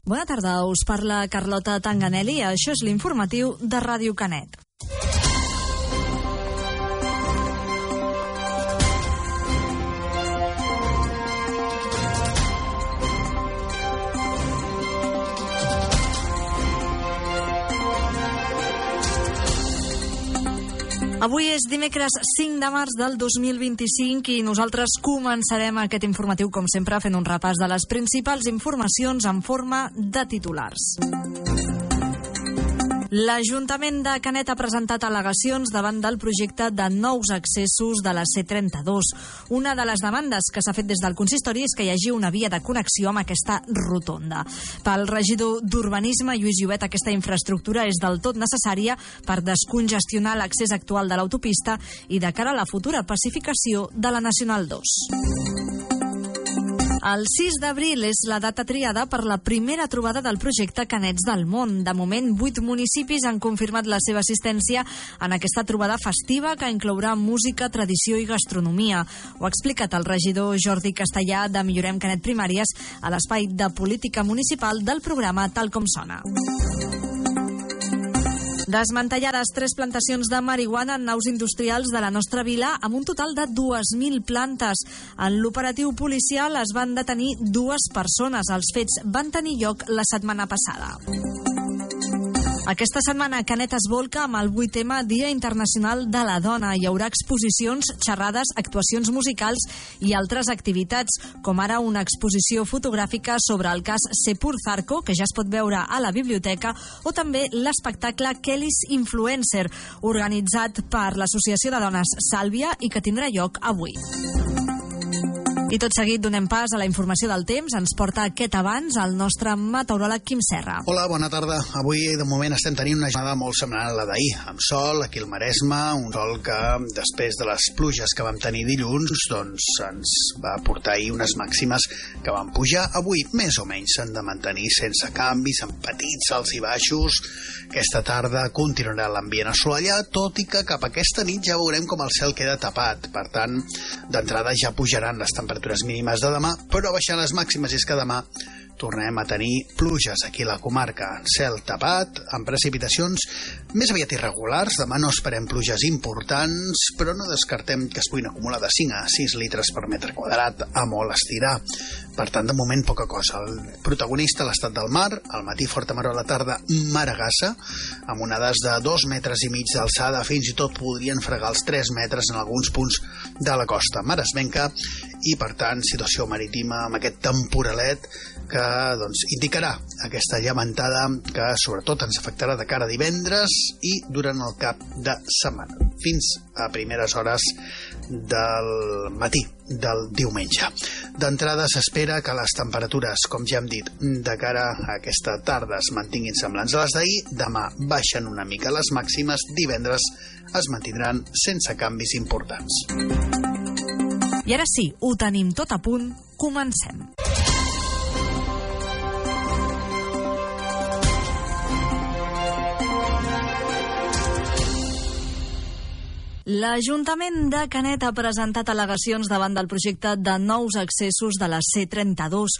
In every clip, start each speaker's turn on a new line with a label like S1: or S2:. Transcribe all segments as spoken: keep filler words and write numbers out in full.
S1: Bona tarda, us parla Carlota Tanganelli. Això és l'informatiu de Ràdio Canet. Avui és dimecres cinc de març del dos mil vint-i-cinc i nosaltres començarem aquest informatiu, com sempre, fent un repàs de les principals informacions en forma de titulars. L'Ajuntament de Canet ha presentat al·legacions davant del projecte de nous accessos de la C trenta-dos. Una de les demandes que s'ha fet des del consistori és que hi hagi una via de connexió amb aquesta rotonda. Pel regidor d'Urbanisme, Lluís Llobet, aquesta infraestructura és del tot necessària per descongestionar l'accés actual de l'autopista i de cara a la futura pacificació de la Nacional dos. El sis d'abril és la data triada per la primera trobada del projecte Canets del Món. De moment, vuit municipis han confirmat la seva assistència en aquesta trobada festiva que inclourà música, tradició i gastronomia. Ho ha explicat el regidor Jordi Castellà de Millorem Canet Primàries a l'espai de política municipal del programa Tal com sona. Desmantellades tres plantacions de marihuana en naus industrials de la nostra vila amb un total de dues mil plantes. En l'operatiu policial es van detenir dues persones. Els fets van tenir lloc la setmana passada. Aquesta setmana Canet es volca amb el vuitè Dia Internacional de la Dona. Hi haurà exposicions, xerrades, actuacions musicals i altres activitats, com ara una exposició fotogràfica sobre el cas Sepur Zarco, que ja es pot veure a la biblioteca, o també l'espectacle Kelly's Influencer, organitzat per l'Associació de Dones Sàlvia i que tindrà lloc avui. I tot seguit donem pas a la informació del temps. Ens porta aquest abans el nostre meteoròleg Quim Serra.
S2: Hola, bona tarda. Avui, de moment, estem tenint una jornada molt semblant a la d'ahir, amb sol aquí al Maresme, un sol que, després de les pluges que vam tenir dilluns, doncs ens va portar ahir unes màximes que van pujar. Avui, més o menys, s'han de mantenir sense canvis, amb petits alts i baixos. Aquesta tarda continuarà l'ambient assolellat, tot i que cap a aquesta nit ja veurem com el cel queda tapat. Per tant, d'entrada ja pujaran les temperatures mínimes de demà, però baixant les màximes, és que demà tornem a tenir pluges aquí a la comarca. Cel tapat, amb precipitacions més aviat irregulars. Demà no esperem pluges importants, però no descartem que es puguin acumular de cinc a sis litres per metre quadrat, a molt estirar. Per tant, de moment, poca cosa. El protagonista, l'estat del mar, al matí forta mar, a la tarda maragassa, amb onades de dos metres i mig d'alçada, fins i tot podrien fregar els tres metres en alguns punts de la costa maresmenca, i per tant, situació marítima amb aquest temporalet que doncs, indicarà aquesta llevantada que sobretot ens afectarà de cara a divendres i durant el cap de setmana, fins a primeres hores del matí del diumenge. D'entrada s'espera que les temperatures, com ja hem dit, de cara a aquesta tarda es mantinguin semblants a les d'ahir. Demà baixen una mica les màximes, divendres es mantindran sense canvis importants.
S1: I ara sí, ho tenim tot a punt, comencem. L'Ajuntament de Canet ha presentat al·legacions davant del projecte de nous accessos de la C trenta-dos.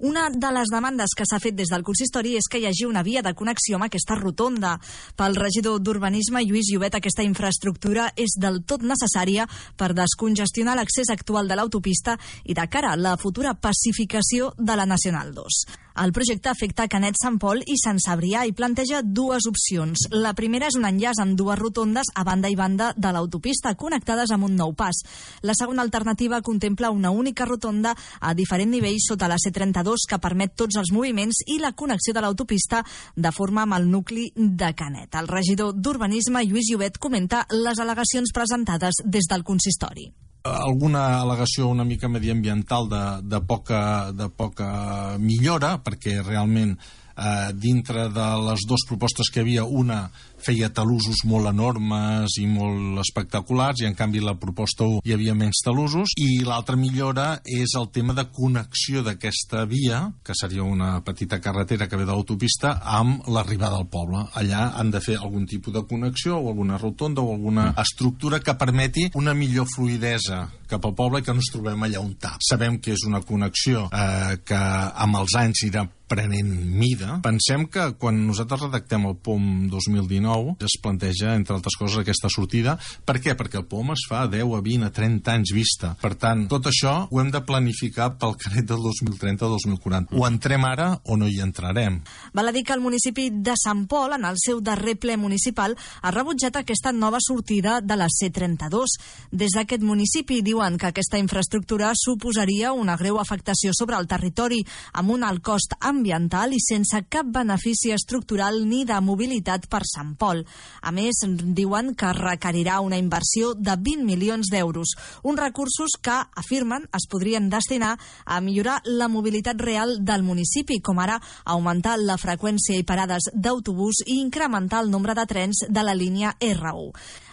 S1: Una de les demandes que s'ha fet des del consistori és que hi hagi una via de connexió amb aquesta rotonda. Pel regidor d'Urbanisme, Lluís Llobet, aquesta infraestructura és del tot necessària per descongestionar l'accés actual de l'autopista i de cara a la futura pacificació de la Nacional dos. El projecte afecta Canet, Sant Pol i Sant Cebrià i planteja dues opcions. La primera és un enllaç amb dues rotondes a banda i banda de l'autopista, connectades amb un nou pas. La segona alternativa contempla una única rotonda a diferent nivell sota la C trenta-dos que permet tots els moviments i la connexió de l'autopista de forma amb el nucli de Canet. El regidor d'Urbanisme, Lluís Llobet, comenta les al·legacions presentades des del consistori.
S3: Alguna al·legació una mica mediambiental de, de, poca, de poca millora, perquè realment eh, dintre de les dues propostes que hi havia, una feia talussos molt enormes i molt espectaculars, i en canvi la proposta un hi havia menys talussos, i l'altra millora és el tema de connexió d'aquesta via, que seria una petita carretera que ve de l'autopista, amb l'arribada al poble. Allà han de fer algun tipus de connexió o alguna rotonda o alguna estructura que permeti una millor fluidesa cap al poble i que no ens trobem allà on tap. Sabem que és una connexió eh, que amb els anys irà prenent mida. Pensem que quan nosaltres redactem el P O M dos mil dinou es planteja, entre altres coses, aquesta sortida. Per què? Perquè el P O M es fa a deu, a vint, a trenta anys vista. Per tant, tot això ho hem de planificar pel canet del dos mil trenta dos mil quaranta. O entrem ara o no hi entrarem.
S1: Val a dir que el municipi de Sant Pol, en el seu darrer ple municipal, ha rebutjat aquesta nova sortida de la C trenta-dos. Des d'aquest municipi diuen que aquesta infraestructura suposaria una greu afectació sobre el territori, amb un alt cost ambiental i sense cap benefici estructural ni de mobilitat per Sant Pol. A més, diuen que requerirà una inversió de vint milions d'euros, uns recursos que, afirmen, es podrien destinar a millorar la mobilitat real del municipi, com ara augmentar la freqüència i parades d'autobús i incrementar el nombre de trens de la línia R u.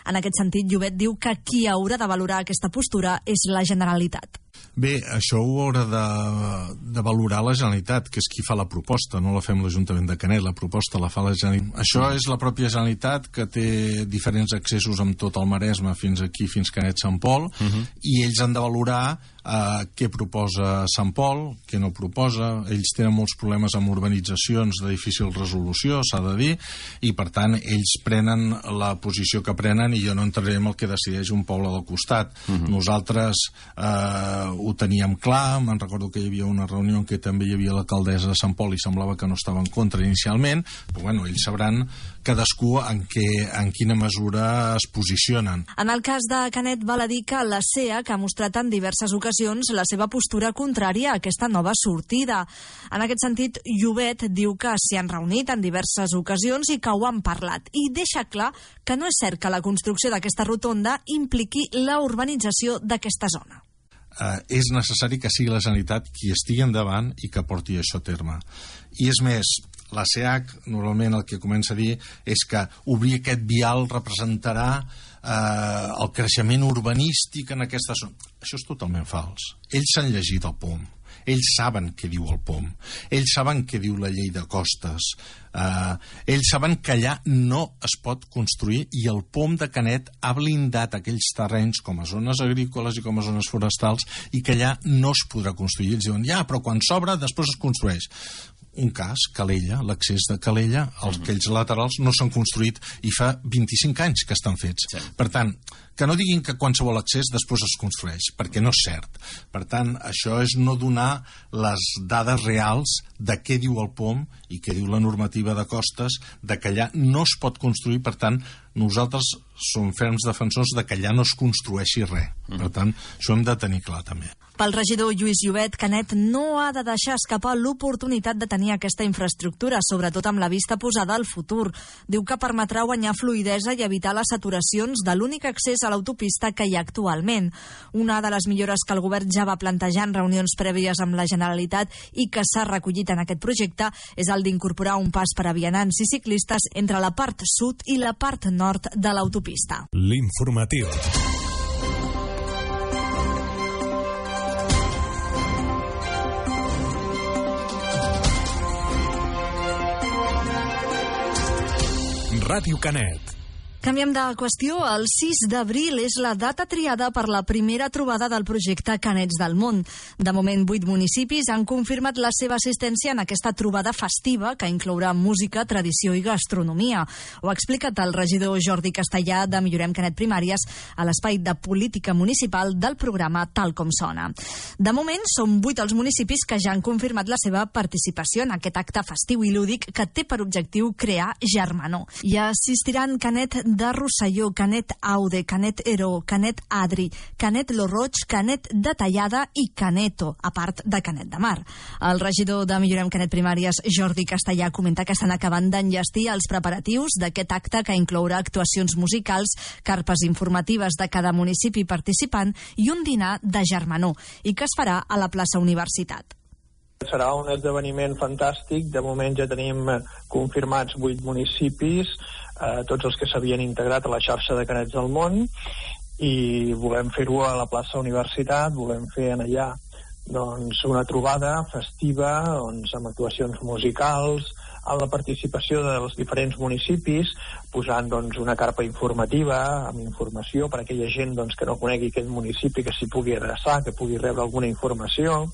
S1: En aquest sentit, Llobet diu que qui haurà de valorar aquesta postura és la Generalitat.
S3: Bé, això ho haurà de, de valorar la Generalitat, que és qui fa la proposta, no la fem l'Ajuntament de Canet, la proposta la fa la Generalitat. Això és la pròpia Generalitat, que té diferents accessos amb tot el Maresme fins aquí, fins Canet Sant Pol, uh-huh. i ells han de valorar eh, què proposa Sant Pol, què no proposa. Ells tenen molts problemes amb urbanitzacions de difícil resolució, s'ha de dir, i per tant ells prenen la posició que prenen i jo no entraré en el que decideix un poble del costat. Uh-huh. Nosaltres eh, ho teníem clar, me'n recordo que hi havia una reunió en què també hi havia l'alcaldessa de Sant Pol i semblava que no estava en contra inicialment, però bueno, ells sabran cadascú en, què, en quina mesura es posicionen.
S1: En el cas de Canet, val a dir que la C E A que ha mostrat en diverses ocasions la seva postura contrària a aquesta nova sortida. En aquest sentit, Llobet diu que s'hi han reunit en diverses ocasions i que ho han parlat, i deixa clar que no és cert que la construcció d'aquesta rotonda impliqui la urbanització d'aquesta zona.
S3: Uh, és necessari que sigui la Generalitat qui estigui endavant i que porti això a terme. I és més, la C E A C normalment el que comença a dir és que obrir aquest vial representarà eh, el creixement urbanístic en aquesta zona. Això és totalment fals. Ells s'han llegit el P O M. Ells saben què diu el P O M. Ells saben què diu la llei de costes. Uh, ells saben que allà no es pot construir i el P O M de Canet ha blindat aquells terrenys com a zones agrícoles i com a zones forestals i que allà no es podrà construir. Ells diuen, ja, però quan s'obre després es construeix. Un cas, Calella, l'accés de Calella, els, aquells laterals no s'han construït i fa vint-i-cinc anys que estan fets. Sí. Per tant, que no diguin que qualsevol accés després es construeix, perquè no és cert. Per tant, això és no donar les dades reals de què diu el P O M i què diu la normativa de costes, de que allà no es pot construir. Per tant, nosaltres som ferms defensors de que allà no es construeixi res. Per tant, això hem de tenir clar també.
S1: Pel regidor Lluís Llobet, Canet no ha de deixar escapar l'oportunitat de tenir aquesta infraestructura, sobretot amb la vista posada al futur. Diu que permetrà guanyar fluïdesa i evitar les saturacions de l'únic accés a l'autopista que hi ha actualment. Una de les millores que el govern ja va plantejar en reunions prèvies amb la Generalitat i que s'ha recollit en aquest projecte és el d'incorporar un pas per a vianants i ciclistes entre la part sud i la part nord de l'autopista.
S4: L'informatiu. Ràdio Canet.
S1: Canviem de qüestió. El sis d'abril és la data triada per la primera trobada del projecte Canets del Món. De moment, vuit municipis han confirmat la seva assistència en aquesta trobada festiva que inclourà música, tradició i gastronomia. Ho ha explicat el regidor Jordi Castellà de Millorem Canet Primàries a l'espai de política municipal del programa Tal com sona. De moment, són vuit els municipis que ja han confirmat la seva participació en aquest acte festiu i lúdic que té per objectiu crear germanor. Hi assistiran Canet de Rosselló, Canet Aude, Canet Heró, Canet Adri, Canet Lo Roig, Canet de Tallada i Caneto, a part de Canet de Mar. El regidor de Millorem Canet Primàries, Jordi Castellà, comenta que estan acabant d'enllestir els preparatius d'aquest acte que inclourà actuacions musicals, carpes informatives de cada municipi participant i un dinar de germanor, i que es farà a la plaça Universitat.
S5: Serà un esdeveniment fantàstic. De moment ja tenim confirmats vuit municipis, eh, tots els que s'havien integrat a la xarxa de Canets del Món, i volem fer-ho a la plaça Universitat, volem fer en allà doncs, una trobada festiva doncs, amb actuacions musicals, amb la participació dels diferents municipis, posant doncs, una carpa informativa amb informació per a aquella gent doncs, que no conegui aquest municipi, que s'hi pugui adreçar, que pugui rebre alguna informació.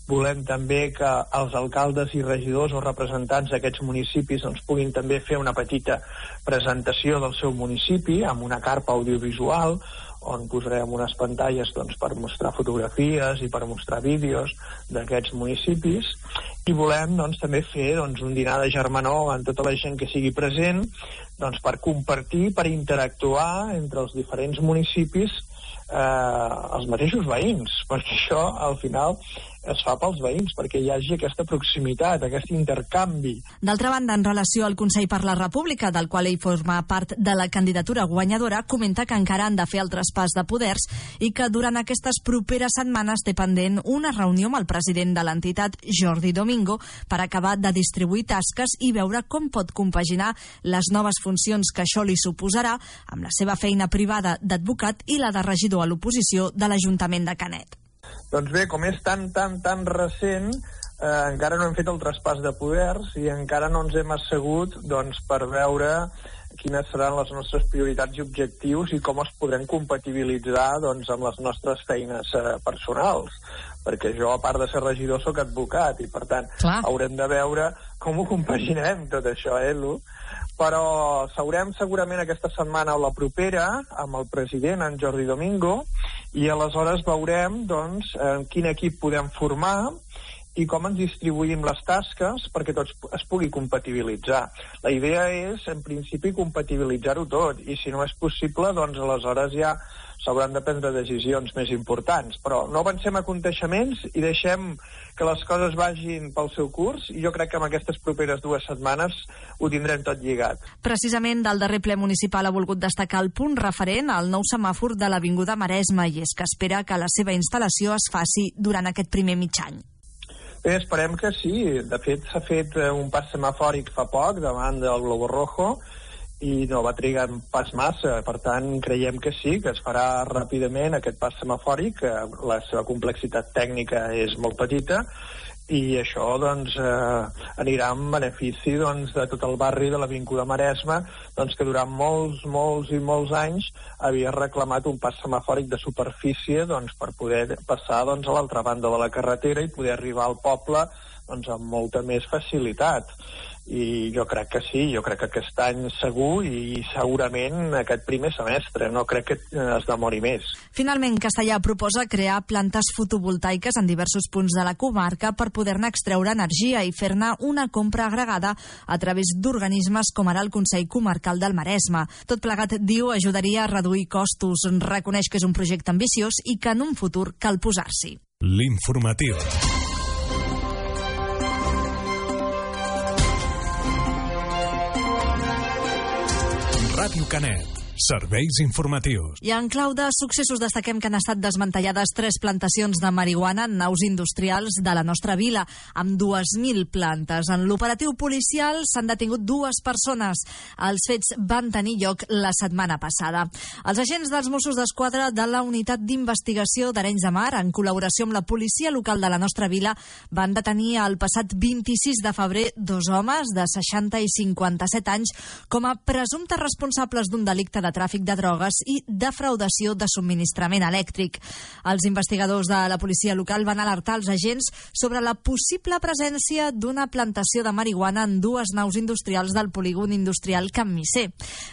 S5: volem també que els alcaldes i regidors o representants d'aquests municipis doncs, puguin també fer una petita presentació del seu municipi amb una carpa audiovisual on posarem unes pantalles doncs, per mostrar fotografies i per mostrar vídeos d'aquests municipis, i volem doncs, també fer doncs, un dinar de germanor amb tota la gent que sigui present doncs, per compartir, per interactuar entre els diferents municipis eh, els mateixos veïns, perquè això al final es fa pels veïns, perquè hi hagi aquesta proximitat, aquest intercanvi.
S1: D'altra banda, en relació al Consell per la República, del qual ell forma part de la candidatura guanyadora, comenta que encara han de fer el traspàs de poders i que durant aquestes properes setmanes té pendent una reunió amb el president de l'entitat, Jordi Domingo, per acabar de distribuir tasques i veure com pot compaginar les noves funcions que això li suposarà amb la seva feina privada d'advocat i la de regidor a l'oposició de l'Ajuntament de Canet.
S5: Doncs bé, com és tan, tan, tan recent, eh, encara no hem fet el traspàs de poders i encara no ens hem assegut doncs, per veure quines seran les nostres prioritats i objectius i com els podrem compatibilitzar doncs, amb les nostres feines eh, personals. Perquè jo, a part de ser regidor, sóc advocat i, per tant, Clar. haurem de veure com ho compaginem tot això, eh, Lu? Però seurem segurament aquesta setmana o la propera amb el president, en Jordi Domingo, i aleshores veurem doncs, quin equip podem formar i com ens distribuïm les tasques perquè tots es pugui compatibilitzar. La idea és, en principi, compatibilitzar-ho tot, i si no és possible, doncs aleshores ja s'hauran de prendre decisions més importants. Però no avancem a aconteixements i deixem que les coses vagin pel seu curs, i jo crec que en aquestes properes dues setmanes ho tindrem tot lligat.
S1: Precisament del darrer ple municipal ha volgut destacar el punt referent al nou semàfor de l'Avinguda Maresme, i és que espera que la seva instal·lació es faci durant aquest primer mig any.
S5: Bé, esperem que sí. De fet, s'ha fet un pas semafòric fa poc davant del Globo Rojo i no va trigar pas massa. Per tant, creiem que sí, que es farà ràpidament aquest pas semafòric. La seva complexitat tècnica és molt petita i això doncs, eh, anirà en benefici doncs, de tot el barri de l'Avinguda Maresme, doncs, que durant molts, molts i molts anys havia reclamat un pas semafòric de superfície doncs, per poder passar doncs, a l'altra banda de la carretera i poder arribar al poble doncs, amb molta més facilitat. I jo crec que sí, jo crec que aquest any segur i segurament aquest primer semestre, no crec que es demori més.
S1: Finalment, Castellà proposa crear plantes fotovoltaiques en diversos punts de la comarca per poder-ne extreure energia i fer-ne una compra agregada a través d'organismes com ara el Consell Comarcal del Maresme. Tot plegat, diu, ajudaria a reduir costos. Reconeix que és un projecte ambiciós i que en un futur cal posar-s'hi.
S4: L'informatiu. Ràdio Canet. Serveis informatius.
S1: I en clau de successos destaquem que han estat desmantellades tres plantacions de marihuana en naus industrials de la nostra vila, amb dues mil plantes. En l'operatiu policial s'han detingut dues persones. Els fets van tenir lloc la setmana passada. Els agents dels Mossos d'Esquadra de la Unitat d'Investigació d'Arenys de Mar, en col·laboració amb la policia local de la nostra vila, van detenir el passat vint-i-sis de febrer dos homes de seixanta i cinquanta-set anys com a presumptes responsables d'un delicte de tràfic de drogues i defraudació de subministrament elèctric. Els investigadors de la policia local van alertar els agents sobre la possible presència d'una plantació de marihuana en dues naus industrials del polígon industrial Can Misser.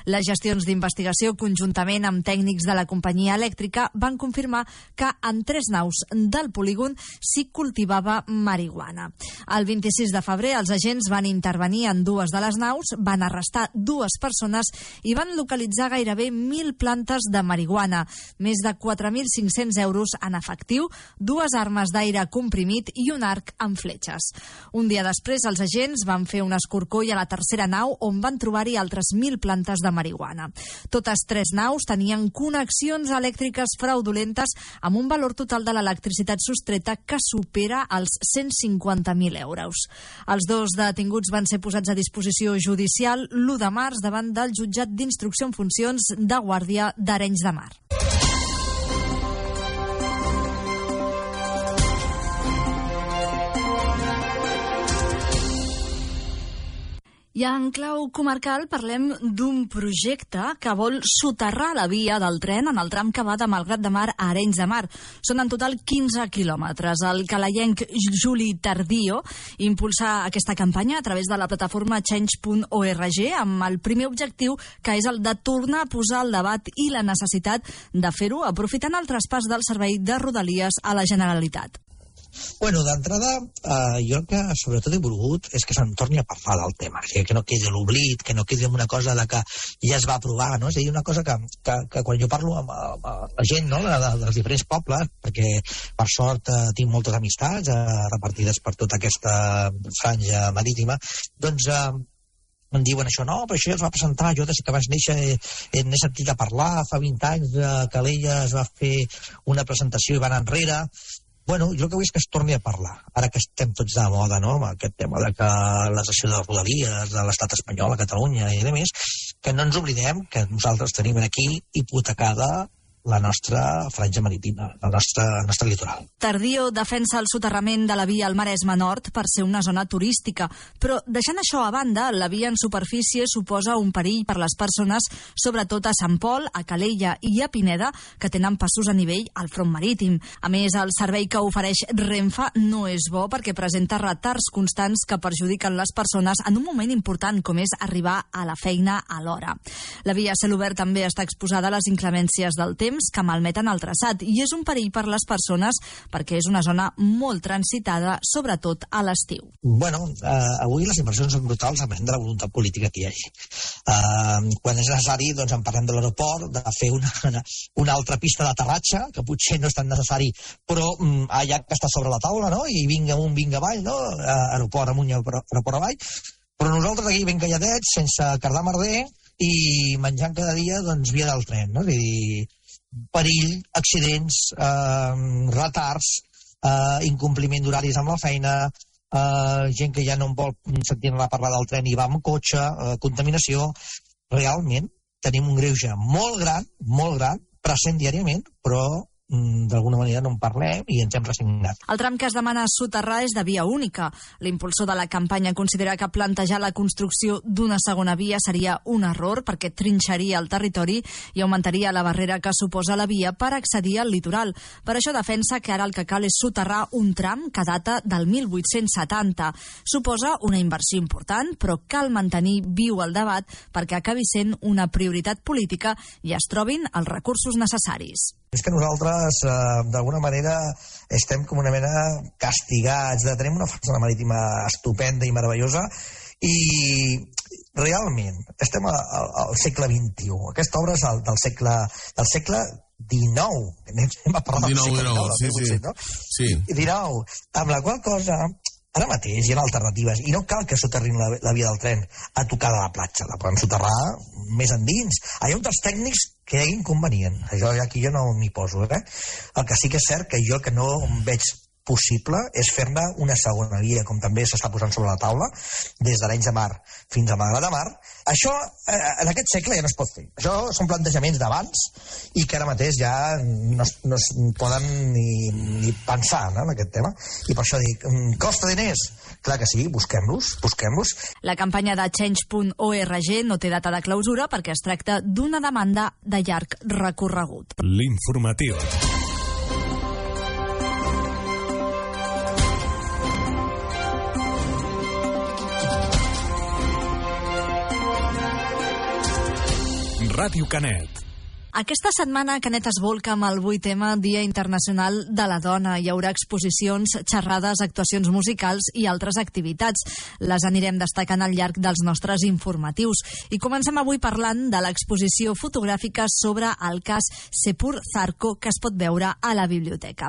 S1: Les gestions d'investigació, conjuntament amb tècnics de la companyia elèctrica, van confirmar que en tres naus del polígon s'hi cultivava marihuana. El vint-i-sis de febrer els agents van intervenir en dues de les naus, van arrestar dues persones i van localitzar gairebé mil plantes de marihuana, més de quatre mil cinc-cents euros en efectiu, dues armes d'aire comprimit i un arc amb fletxes. Un dia després, els agents van fer un escorcoll a la tercera nau on van trobar-hi altres mil plantes de marihuana. Totes tres naus tenien connexions elèctriques fraudulentes amb un valor total de l'electricitat sostreta que supera els cent cinquanta mil euros. Els dos detinguts van ser posats a disposició judicial l'u de març davant del jutjat d'instrucció en funcions de Guàrdia d'Arenys de Mar. I en clau comarcal parlem d'un projecte que vol soterrar la via del tren en el tram que va de Malgrat de Mar a Arenys de Mar. Són en total quinze quilòmetres. El calaienc Juli Tardio impulsa aquesta campanya a través de la plataforma change punt org amb el primer objectiu, que és el de tornar a posar el debat i la necessitat de fer-ho aprofitant el traspàs del servei de Rodalies a la Generalitat.
S6: Bueno, d'entrada, eh, jo el que sobretot he volgut és que se'n torni a parlar del tema, que, que no quedi l'oblit, que no quedi una cosa de que ja es va aprovar, no? És a dir, una cosa que, que, que quan jo parlo amb, amb la gent, no?, de, dels diferents pobles, perquè per sort eh, tinc moltes amistats eh, repartides per tota aquesta franja marítima, doncs eh, em diuen això, no, però això ja es va presentar, jo des que vas néixer eh, n'he sentit a parlar, fa vint anys a eh, Calella es va fer una presentació i van enrere. Bueno, jo el que vull és que es torni a parlar, ara que estem tots de moda, no?, amb aquest tema de que la cessió de Rodalies, de l'estat espanyol a Catalunya i de més, que no ens oblidem que nosaltres tenim aquí hipotecada la nostra franja marítima, el nostre, el nostre litoral.
S1: Tardio defensa el soterrament de la via al Maresme Nord per ser una zona turística, però deixant això a banda, la via en superfície suposa un perill per les persones, sobretot a Sant Pol, a Calella i a Pineda, que tenen passos a nivell al front marítim. A més, el servei que ofereix Renfe no és bo perquè presenta retards constants que perjudiquen les persones en un moment important com és arribar a la feina a l'hora. La via a cel obert també està exposada a les inclemències del temps que malmeten el traçat i és un perill per les persones perquè és una zona molt transitada, sobretot a l'estiu.
S6: Bueno, eh, avui les inversions són brutals a de la voluntat política que hi hagi. Eh, quan és necessari, doncs en parlem de l'aeroport, de fer una, una, una altra pista d'aterratge, que potser no és tan necessari, però mm, allà que està sobre la taula, no?, i vinga amunt, vinga avall, no?, eh, aeroport amunt i aeroport avall, però nosaltres aquí ben calladets, sense cardar merder, i menjant cada dia, doncs, via del tren, no?, és a dir, perill, accidents, eh, retards, eh, incompliment d'horaris amb la feina, eh, gent que ja no en vol sentir a parlar del tren i va amb cotxe, eh, contaminació. Realment tenim un greuge molt gran, molt gran, present diàriament, però d'alguna manera no en parlem i ens hem resignat.
S1: El tram que es demana soterrar és de via única. L'impulsor de la campanya considera que plantejar la construcció d'una segona via seria un error perquè trinxaria el territori i augmentaria la barrera que suposa la via per accedir al litoral. Per això defensa que ara el que cal és soterrar un tram que data del mil vuit-cents setanta. Suposa una inversió important, però cal mantenir viu el debat perquè acabi sent una prioritat política i es trobin els recursos necessaris.
S6: És que nosaltres, eh, d'alguna manera, estem com una mena castigats, de tenim una façana marítima estupenda i meravellosa, i realment estem al, al segle vint-i-u. Aquesta obra és el, del segle del segle dinou. Anem a parlar del segle dinou, sí, sí. No?
S3: Sí.
S6: dinou, amb la qual cosa ara mateix hi ha alternatives i no cal que soterrin la, la via del tren a tocar de la platja, la poden soterrar més endins. Hi ha uns dels tècnics que hi ha inconvenient. Això aquí jo no m'hi poso, eh? El que sí que és cert que jo que no veig possible és fer-ne una segona via, com també s'està posant sobre la taula, des d'Arenys de Mar fins a Malgrat de Mar. Això, eh, en aquest segle ja no es pot fer. Això són plantejaments d'abans i que ara mateix ja no es, no es poden ni, ni pensar, no?, en aquest tema. I per això dic, costa diners? Clar que sí, busquem-los, busquem-los.
S1: La campanya de change punt org no té data de clausura perquè es tracta d'una demanda de llarg recorregut.
S4: L'informatiu. Ràdio Canet.
S1: Aquesta setmana Canet es volca amb el vuitè Dia Internacional de la Dona. Hi haurà exposicions, xerrades, actuacions musicals i altres activitats. Les anirem destacant al llarg dels nostres informatius. I comencem avui parlant de l'exposició fotogràfica sobre el cas Sepur Zarco, que es pot veure a la biblioteca.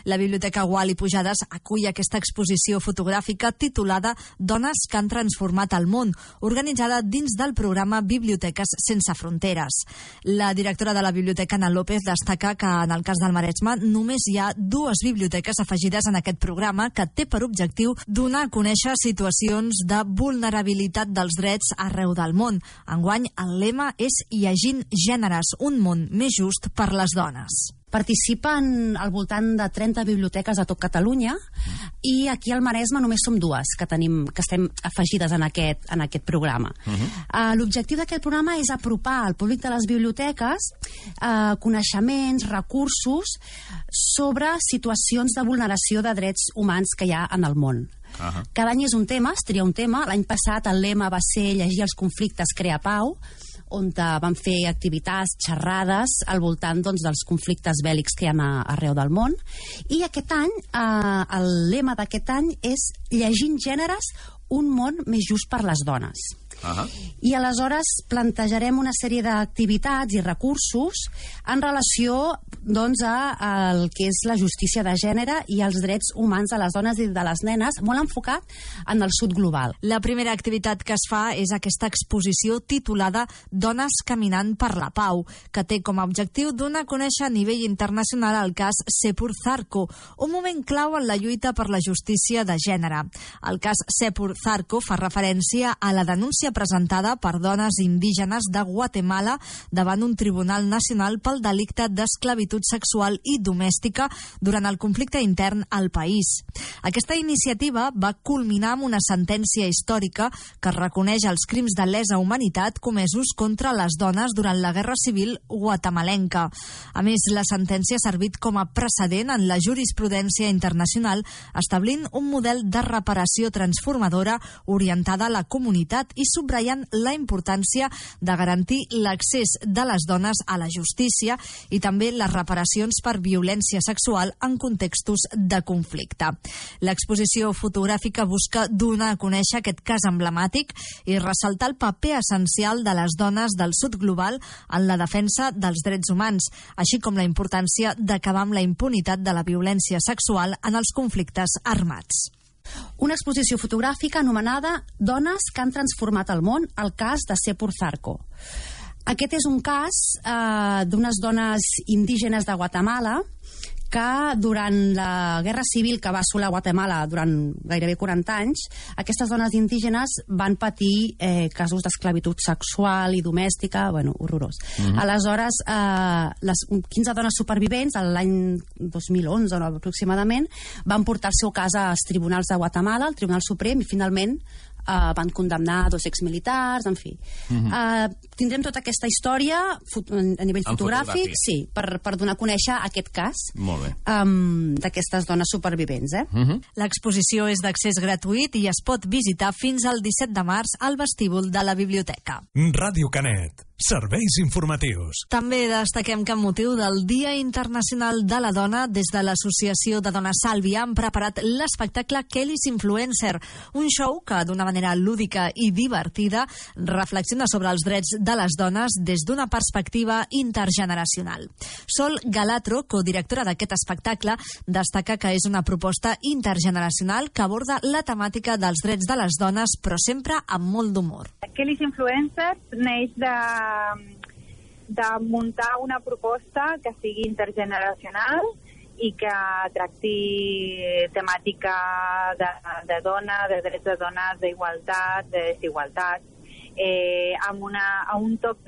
S1: La Biblioteca Gual i Pujades acull aquesta exposició fotogràfica titulada Dones que han transformat el món, organitzada dins del programa Biblioteques sense fronteres. La directora de la Biblioteca, Ana López, destaca que en el cas del Maresme només hi ha dues biblioteques afegides en aquest programa que té per objectiu donar a conèixer situacions de vulnerabilitat dels drets arreu del món. Enguany, el lema és Llegint gèneres, un món més just per les dones.
S7: Participen al voltant de trenta biblioteques de tot Catalunya i aquí al Maresme només som dues que, tenim, que estem afegides en aquest, en aquest programa. Uh-huh. uh, L'objectiu d'aquest programa és apropar al públic de les biblioteques uh, coneixements, recursos sobre situacions de vulneració de drets humans que hi ha en el món. Uh-huh. Cada any és un tema, es tria un tema. L'any passat el lema va ser llegir els conflictes, crear pau, on van fer activitats, xerrades al voltant doncs, dels conflictes bèl·lics que hi ha arreu del món. I aquest any, eh, el lema d'aquest any és llegint gèneres, un món més just per les dones. Uh-huh. I aleshores plantejarem una sèrie d'activitats i recursos en relació doncs, a, a el que és la justícia de gènere i els drets humans de les dones i de les nenes, molt enfocat en el sud global.
S1: La primera activitat que es fa és aquesta exposició titulada Dones caminant per la pau, que té com a objectiu donar a conèixer a nivell internacional el cas Sepur Zarco, un moment clau en la lluita per la justícia de gènere. El cas Sepur Zarco fa referència a la denúncia presentada per dones indígenes de Guatemala davant un tribunal nacional pel delicte d'esclavitud sexual i domèstica durant el conflicte intern al país. Aquesta iniciativa va culminar amb una sentència històrica que reconeix els crims de lesa humanitat comesos contra les dones durant la Guerra Civil guatemalenca. A més, la sentència ha servit com a precedent en la jurisprudència internacional, establint un model de reparació transformadora orientada a la comunitat i subratllant la importància de garantir l'accés de les dones a la justícia i també les reparacions per violència sexual en contextos de conflicte. L'exposició fotogràfica busca donar a conèixer aquest cas emblemàtic i ressaltar el paper essencial de les dones del sud global en la defensa dels drets humans, així com la importància d'acabar amb la impunitat de la violència sexual en els conflictes armats.
S7: Una exposició fotogràfica anomenada Dones que han transformat el món, el cas de Sepur Zarco. Aquest és un cas eh, d'unes dones indígenes de Guatemala que durant la Guerra Civil que va assolar Guatemala durant gairebé quaranta anys, aquestes dones indígenes van patir eh, casos d'esclavitud sexual i domèstica, bueno, horrorós. Mm-hmm. Aleshores, eh, les quinze dones supervivents, l'any dos mil onze no, aproximadament, van portar el seu cas als tribunals de Guatemala, al Tribunal Suprem, i finalment Uh, van condemnar dos exmilitars, en fi. Uh-huh. uh, tindrem tota aquesta història fot- a nivell fotogràfic, fotogràfic, sí, per, per donar a conèixer aquest cas um, d'aquestes dones supervivents. Eh?
S1: Uh-huh. L'exposició és d'accés gratuït i es pot visitar fins al disset de març al vestíbul de la biblioteca.
S4: Ràdio Canet. Serveis informatius.
S1: També destaquem que amb motiu del Dia Internacional de la Dona, des de l'Associació de Dones Sàlvia han preparat l'espectacle Kelly's Influencer, un show que d'una manera lúdica i divertida reflexiona sobre els drets de les dones des d'una perspectiva intergeneracional. Sol Galatro, codirectora d'aquest espectacle, destaca que és una proposta intergeneracional que aborda la temàtica dels drets de les dones, però sempre amb molt d'humor.
S8: Kelly's Influencer neix de de muntar una proposta que sigui intergeneracional i que tracti temàtica de, de dona, de drets de dones, d'igualtat, de desigualtat, eh, amb, una, amb un toc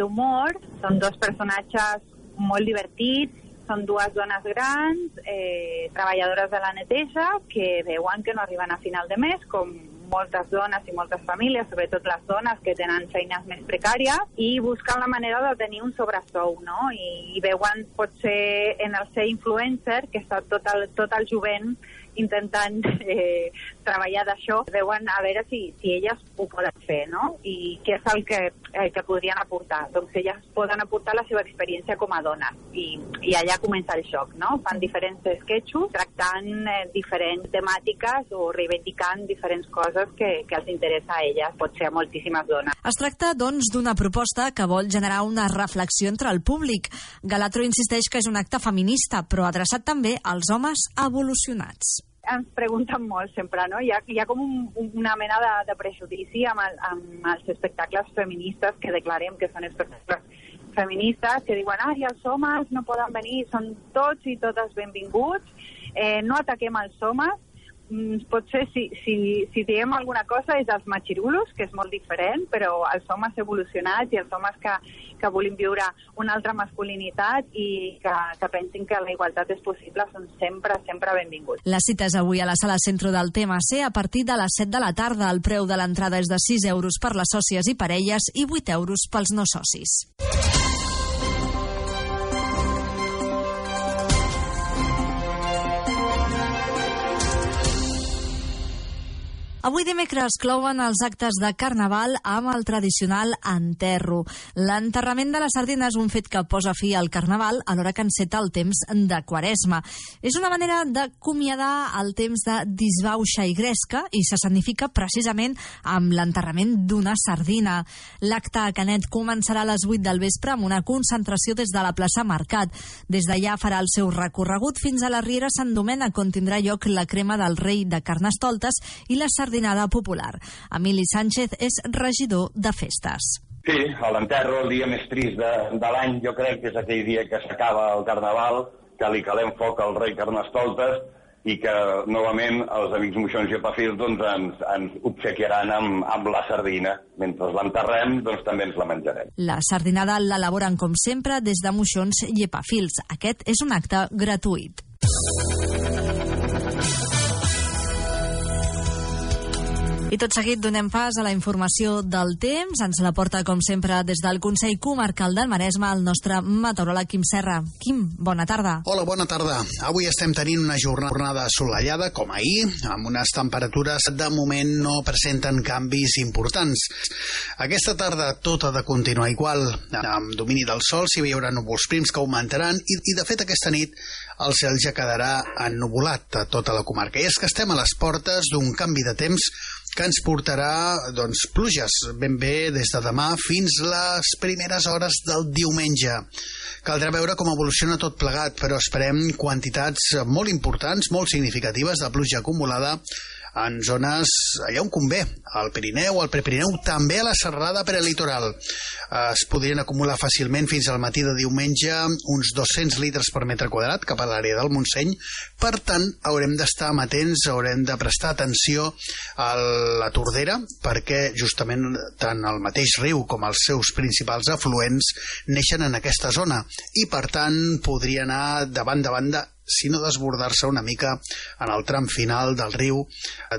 S8: d'humor. Són dos personatges molt divertits, són dues dones grans, eh, treballadores de la neteja, que veuen que no arriben a final de mes, com moltes dones i moltes famílies, sobretot les dones que tenen feines més precàries, i busquen la manera de tenir un sobresou, no? I, i veuen, potser, en el ser influencer, que està tot el, tot el jovent intentant eh, treballar d'això, veuen a veure si, si elles ho poden fer, no? I què és el que, eh, que podrien aportar. Doncs elles poden aportar la seva experiència com a dones. I, i allà comença el xoc, no? Fan diferents sketchos tractant eh, diferents temàtiques o reivindicant diferents coses que, que els interessa a elles, pot ser a moltíssimes dones.
S1: Es tracta, doncs, d'una proposta que vol generar una reflexió entre el públic. Galatro insisteix que és un acte feminista, però adreçat també als homes evolucionats.
S8: Ens pregunten molt sempre, no? Hi ha, hi ha com un, una mena de, de prejudici amb, el, amb els espectacles feministes que declarem que són espectacles feministes, que diuen, ah, i els homes no poden venir, són tots i totes benvinguts, eh, no ataquem els homes, potser si, si, si diem alguna cosa és els machirulos, que és molt diferent, però els homes evolucionats i els homes que, que volem viure una altra masculinitat i que, que pensin que la igualtat és possible són sempre, sempre benvinguts.
S1: La cita és avui a la Sala Centro del T M C a partir de les set de la tarda. El preu de l'entrada és de sis euros per les sòcies i parelles i vuit euros pels no socis. Avui dimecres clouen els actes de Carnaval amb el tradicional enterro. L'enterrament de la sardina és un fet que posa fi al Carnaval alhora que enceta el temps de Quaresma. És una manera d'acomiadar el temps de disbauxa i gresca i s'escenifica precisament amb l'enterrament d'una sardina. L'acte a Canet començarà a les vuit del vespre amb una concentració des de la plaça Mercat. Des d'allà farà el seu recorregut fins a la Riera Sant Domènec, on tindrà lloc la crema del rei de Carnestoltes i la sardina popular. Emili Sánchez és regidor de festes.
S9: Sí, a l'enterro, el dia més trist de, de l'any, jo crec que és aquell dia que s'acaba el Carnaval, que li calem foc al rei Carnestoltes i que, novament, els amics moixons i epafils doncs, ens, ens obsequiaran amb, amb la sardina. Mentre l'enterrem, doncs també ens la menjarem.
S1: La sardinada l'elaboren, com sempre, des de moixons i epafils. Aquest és un acte gratuït. I tot seguit donem pas a la informació del temps. Ens la porta, com sempre, des del Consell Comarcal del Maresme, el nostre meteoròleg Quim Serra. Quim, bona tarda.
S2: Hola, bona tarda. Avui estem tenint una jornada assolellada, com ahir, amb unes temperatures de moment no presenten canvis importants. Aquesta tarda tot ha de continuar igual. Amb domini del sol s'hi haurà núvols prims que augmentaran i, i de fet, aquesta nit el cel ja quedarà ennuvolat a tota la comarca. I és que estem a les portes d'un canvi de temps que ens portarà doncs, pluges ben bé des de demà fins les primeres hores del diumenge. Caldrà veure com evoluciona tot plegat, però esperem quantitats molt importants, molt significatives de pluja acumulada en zones allà on convé, al Pirineu, al Prepirineu, també a la serrada prelitoral. Es podrien acumular fàcilment fins al matí de diumenge uns dos-cents litres per metre quadrat cap a l'àrea del Montseny. Per tant, haurem d'estar amatents, haurem de prestar atenció a la Tordera, perquè justament tant el mateix riu com els seus principals afluents neixen en aquesta zona i, per tant, podria anar de banda a banda, si no desbordar-se una mica en el tram final del riu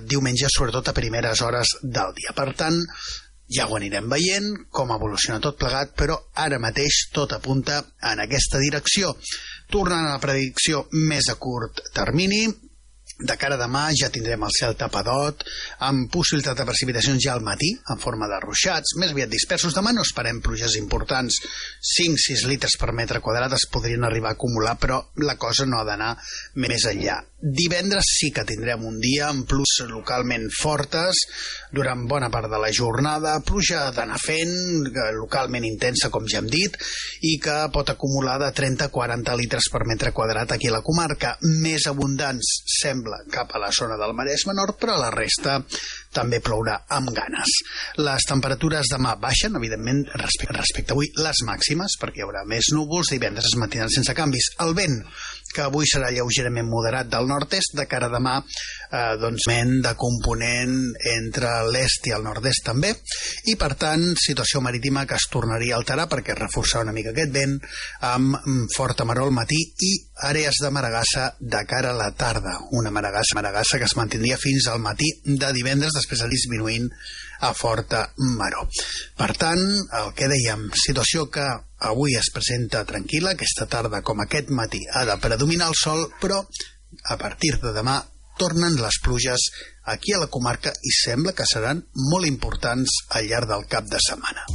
S2: diumenge, sobretot a primeres hores del dia. Per tant, ja ho anirem veient, com evoluciona tot plegat, però ara mateix tot apunta en aquesta direcció. Tornant a la predicció més a curt termini, de cara a demà ja tindrem el cel tapadot, amb possibilitat de precipitacions ja al matí, en forma de ruixats, més aviat dispersos. Demà no esperem pluges importants, cinc-sis litres per metre quadrat es podrien arribar a acumular, però la cosa no ha d'anar més enllà. Divendres sí que tindrem un dia amb pluges localment fortes durant bona part de la jornada, pluja d'anar fent, localment intensa, com ja hem dit, i que pot acumular de trenta a quaranta litres per metre quadrat aquí a la comarca. Més abundants sembla cap a la zona del Maresme Nord, però a la resta també plourà amb ganes. Les temperatures demà baixen, evidentment, respecte, respecte a avui, les màximes, perquè hi haurà més núvols, divendres es mantindran sense canvis. El vent, que avui serà lleugerament moderat del nord-est, de cara a demà, eh, doncs, vent de component entre l'est i el nord-est també, i per tant, situació marítima que es tornaria a alterar perquè reforçarà una mica aquest vent amb forta maror al matí i àrees de maregassa de cara a la tarda. Una maregassa, maregassa que es mantindria fins al matí de divendres, després de disminuint a forta maror. Per tant, el que dèiem, situació que avui es presenta tranquil·la, aquesta tarda com aquest matí ha de predominar el sol, però a partir de demà tornen les pluges aquí a la comarca i sembla que seran molt importants al llarg del cap de setmana.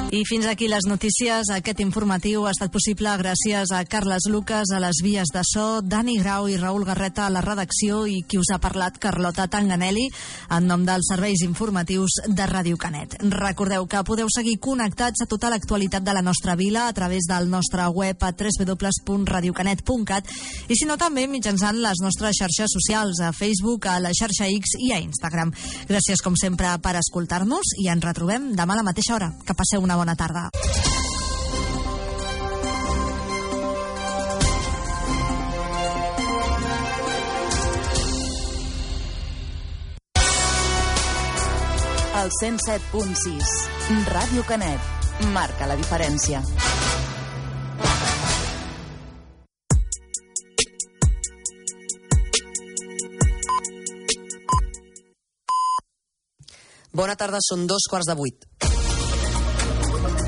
S1: I fins aquí les notícies. Aquest informatiu ha estat possible gràcies a Carles Lucas a les vies de so, Dani Grau i Raül Garreta a la redacció i qui us ha parlat, Carlota Tanganelli, en nom dels serveis informatius de Ràdio Canet. Recordeu que podeu seguir connectats a tota l'actualitat de la nostra vila a través del nostre web a w w w punt radio canet punt cat i si no també mitjançant les nostres xarxes socials a Facebook, a la xarxa X i a Instagram. Gràcies com sempre per escoltar-nos i ens retrobem demà a la mateixa hora. Que passeu una bona tarda.
S10: El cent set punt sis. Ràdio Canet. Marca la diferència.
S11: Bona tarda, són dos quarts de vuit.